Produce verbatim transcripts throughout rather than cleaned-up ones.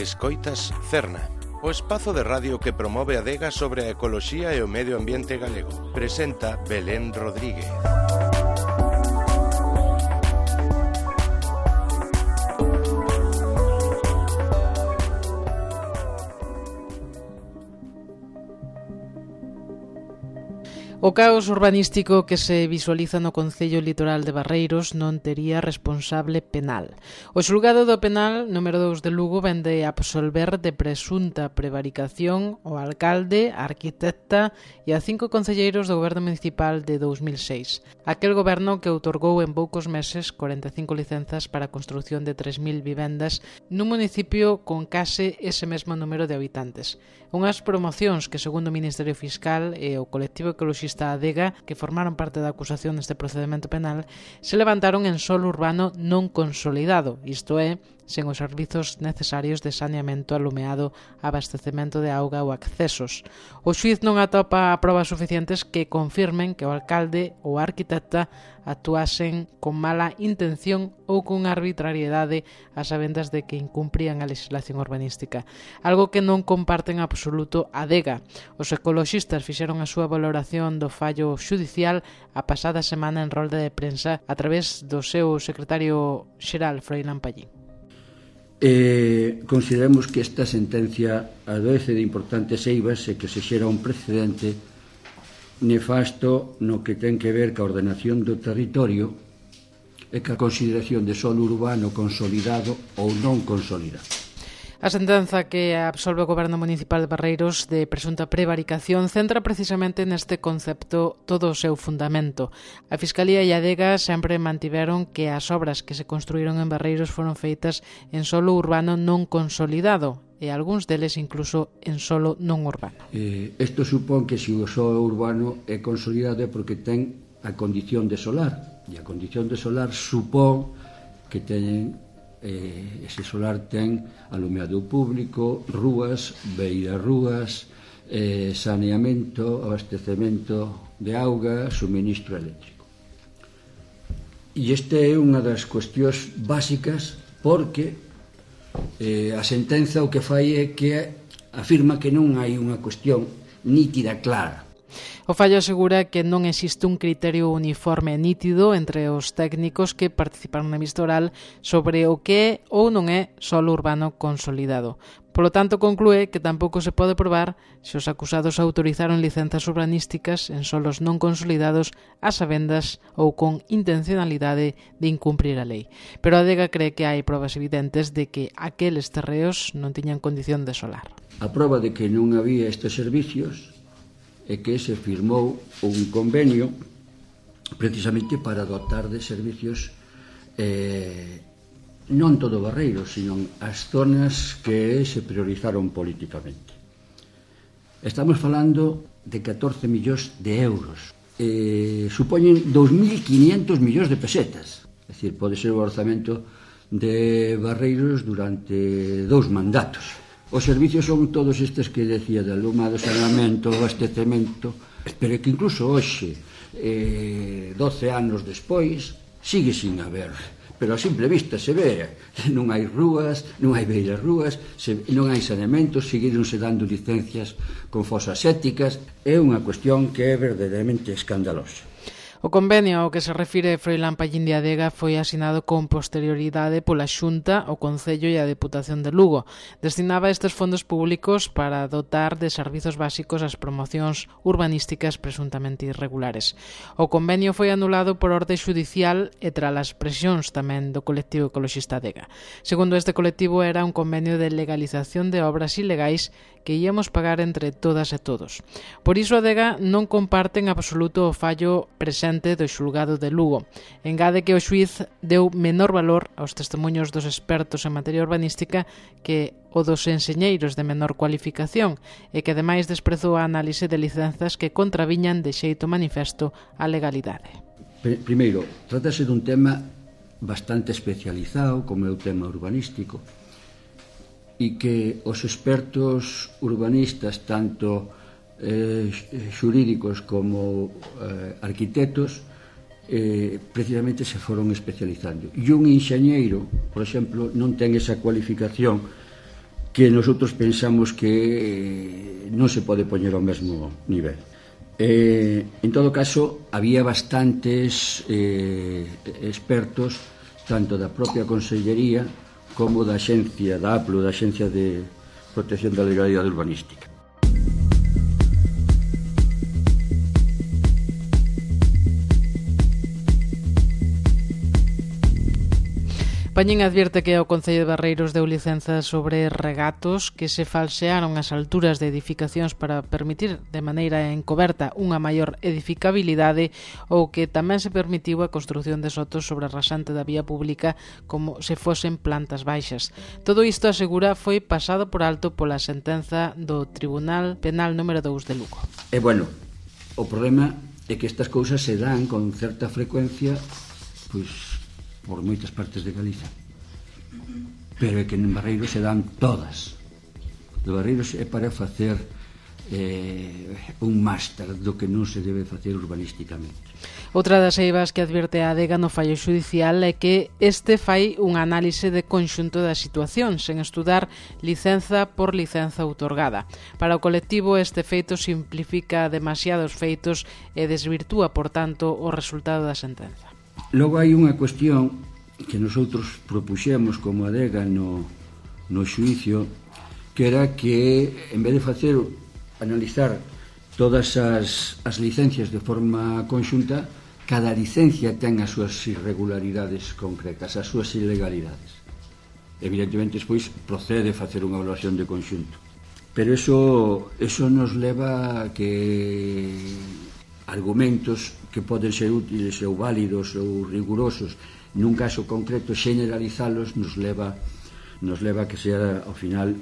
Escoitas Cerna, o espazo de radio que promove a adega sobre a ecoloxía e o medio ambiente galego. Presenta Belén Rodríguez. O caos urbanístico que se visualiza no Concello Litoral de Barreiros non tería responsable penal. O xulgado do penal número dous de Lugo vén de absolver de presunta prevaricación o alcalde, a arquitecta e a cinco concelleiros do goberno municipal de dous mil seis. Aquel goberno que outorgou en poucos meses corenta e cinco licenzas para a construción de tres mil vivendas nun municipio con case ese mesmo número de habitantes. Unhas promocións que, segundo o Ministerio Fiscal e o colectivo ecoloxista Adega, que formaron parte da acusación deste procedimento penal, se levantaron en solo urbano non consolidado, isto é, sen os servizos necesarios de saneamento, alumeado, abastecemento de auga ou accesos. O xuíz non atopa probas suficientes que confirmen que o alcalde ou a arquitecta actuasen con mala intención ou con arbitrariedade a sabendas de que incumprían a legislación urbanística, algo que non comparten en absoluto Adega. Os ecoloxistas fixeron a súa valoración do fallo xudicial a pasada semana en rolda de prensa a través do seu secretario xeral, Froilán Pallín. Eh, consideramos que esta sentencia adolece de importantes eivas e que se xera un precedente nefasto no que ten que ver ca ordenación do territorio e ca consideración de solo urbano consolidado ou non consolidado. A sentenza que absolve o Goberno Municipal de Barreiros de presunta prevaricación centra precisamente neste concepto todo o seu fundamento. A Fiscalía e a Adega sempre mantiveron que as obras que se construíron en Barreiros foron feitas en solo urbano non consolidado e algúns deles incluso en solo non urbano. Eh, isto supón que se o solo urbano é consolidado é porque ten a condición de solar, e a condición de solar supón que teñen Eh, ese solar ten alumeado público, rúas, beirarrúas, eh, saneamento, abastecemento de auga, suministro eléctrico. E este é unha das cuestións básicas porque eh, a sentenza o que fai é que afirma que non hai unha cuestión nítida, clara. O fallo asegura que non existe un criterio uniforme e nítido entre os técnicos que participaron na vista oral sobre o que é ou non é solo urbano consolidado. Polo tanto, conclúe que tampouco se pode probar se os acusados autorizaron licenzas urbanísticas en solos non consolidados a sabendas ou con intencionalidade de incumprir a lei. Pero a Adega cree que hai probas evidentes de que aqueles terreos non tiñan condición de solar. A proba de que non había estes servicios é que se firmou un convenio precisamente para dotar de servicios eh, non todo Barreiros, sino as zonas que se priorizaron políticamente. Estamos falando de catorce millóns de euros. Eh, supoñen dous mil quiñentos millóns de pesetas. É dicir, pode ser o orzamento de Barreiros durante dous mandatos. Os servicios son todos estes que decía de alumado, saneamento, abastecemento, pero que incluso hoxe, eh, doce anos despois, sigue sin haber. Pero a simple vista se ve, non hai rúas, non hai beiras rúas, se, non hai saneamento, seguironse dando licencias con fosas sépticas. É unha cuestión que é verdadeiramente escandalosa. O convenio ao que se refire Froilán Pallín de Adega foi asinado con posterioridade pola Xunta, o Concello e a Deputación de Lugo. Destinaba estes fondos públicos para dotar de servizos básicos as promocións urbanísticas presuntamente irregulares. O convenio foi anulado por orde xudicial e tras as presións tamén do colectivo ecoloxista Adega. Segundo este colectivo, era un convenio de legalización de obras ilegais que íamos pagar entre todas e todos. Por iso Adega non comparte en absoluto o fallo presente do xulgado de Lugo. Engade que o xuíz deu menor valor aos testemunhos dos expertos en materia urbanística que o dos enseñeiros de menor cualificación e que ademais desprezou a análise de licenzas que contraviñan de xeito manifesto a legalidade. Primeiro, trátase dun tema bastante especializado como é o tema urbanístico e que os expertos urbanistas tanto Eh, xurídicos como eh, arquitectos eh, precisamente se foron especializando. E un enxeñeiro, por exemplo, non ten esa cualificación que nosotros pensamos que non se pode poñer ao mesmo nivel. Eh, en todo caso, había bastantes eh, expertos, tanto da propia Consellería como da Axencia, da A P L U, da Axencia de Protección da Legalidade Urbanística. Pañín advierte que o Concello de Barreiros deu licenzas sobre regatos que se falsearon as alturas de edificacións para permitir de maneira encoberta unha maior edificabilidade ou que tamén se permitiu a construción de sotos sobre a rasante da vía pública como se fosen plantas baixas. Todo isto, asegura, foi pasado por alto pola sentenza do Tribunal Penal número dous de Lugo. E, bueno, o problema é que estas cousas se dan con certa frecuencia, pois, por moitas partes de Galiza, pero é que en Barreiros se dan todas. De Barreiros é para facer eh, un máster do que non se debe facer urbanísticamente. Outra das eivas que advierte a adega no fallo xudicial é que este fai unha análise de conxunto da situación, sen estudar licenza por licenza outorgada. Para o colectivo, este feito simplifica demasiados feitos e desvirtúa, por tanto, o resultado da sentenza. Logo hai unha cuestión que nosotros propuxemos como adega no, no xuicio, que era que, en vez de facer, analizar todas as, as licencias de forma conxunta, cada licencia ten as súas irregularidades concretas, as súas ilegalidades. Evidentemente, despois, procede facer unha evaluación de conxunto. Pero eso, eso nos leva a que argumentos que poden ser útiles ou válidos ou rigurosos nun caso concreto, generalizalos nos leva nos leva a que sea ao final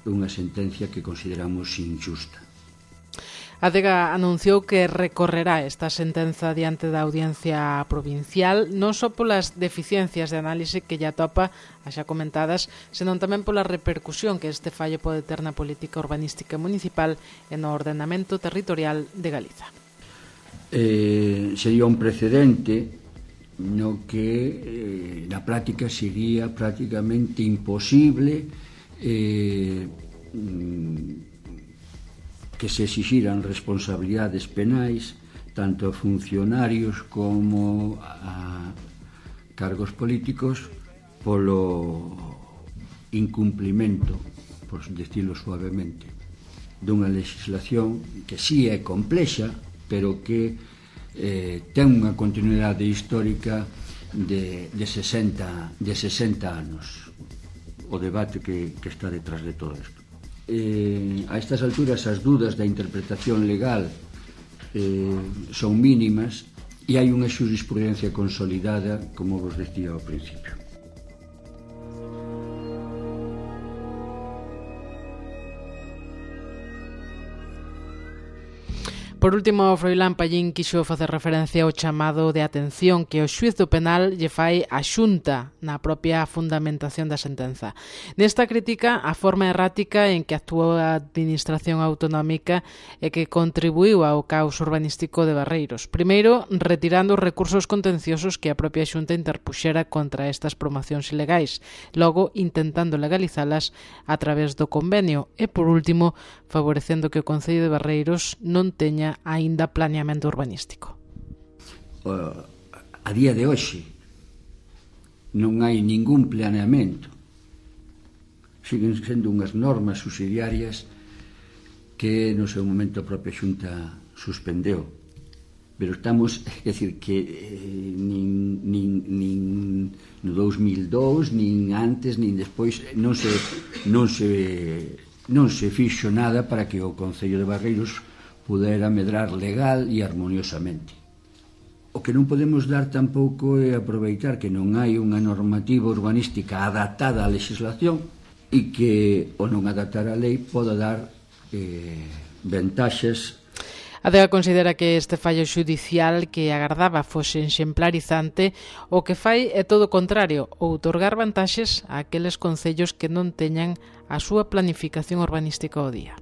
unha sentencia que consideramos injusta. A adega anunciou que recorrerá esta sentenza diante da Audiencia Provincial non só polas deficiencias de análise que ya topa, as xa comentadas, senón tamén pola repercusión que este fallo pode ter na política urbanística municipal e no ordenamento territorial de Galiza. Eh, sería un precedente no que eh, na práctica sería prácticamente imposible eh, que se exixiran responsabilidades penais tanto a funcionarios como a cargos políticos polo incumplimento, por decirlo suavemente, dunha legislación que sí é complexa, pero que eh, ten unha continuidade histórica de, de, sesenta, de sesenta anos, o debate que, que está detrás de todo isto. Eh, a estas alturas as dudas da interpretación legal eh, son mínimas e hai unha xurisprudencia consolidada, como vos decía ao principio. Por último, Froilán Pallín quixo facer referencia ao chamado de atención que o xuíz do penal lle fai a Xunta na propia fundamentación da sentenza. Nesta crítica a forma errática en que actuou a Administración Autonómica e que contribuiu ao caos urbanístico de Barreiros. Primeiro, retirando os recursos contenciosos que a propia Xunta interpuxera contra estas promocións ilegais, logo intentando legalizalas a través do convenio e, por último, favorecendo que o Concello de Barreiros non teña aínda planeamento urbanístico. Uh, a día de hoxe non hai ningún planeamento. Siguen sendo unhas normas subsidiarias que no seu momento a propia Xunta suspendeu. Pero estamos, é dicir, que eh, nin, nin, nin no dous mil dous, nin antes, nin despois, non se, non se, non se fixo nada para que o Concello de Barreiros pudera medrar legal e armoniosamente. O que non podemos dar tampouco é aproveitar que non hai unha normativa urbanística adaptada á legislación e que o non adaptar a lei poda dar eh, ventaxes. A adega considera que este fallo xudicial que agardaba fose exemplarizante o que fai é todo o contrario, outorgar vantaxes a aqueles concellos que non teñan a súa planificación urbanística ao día.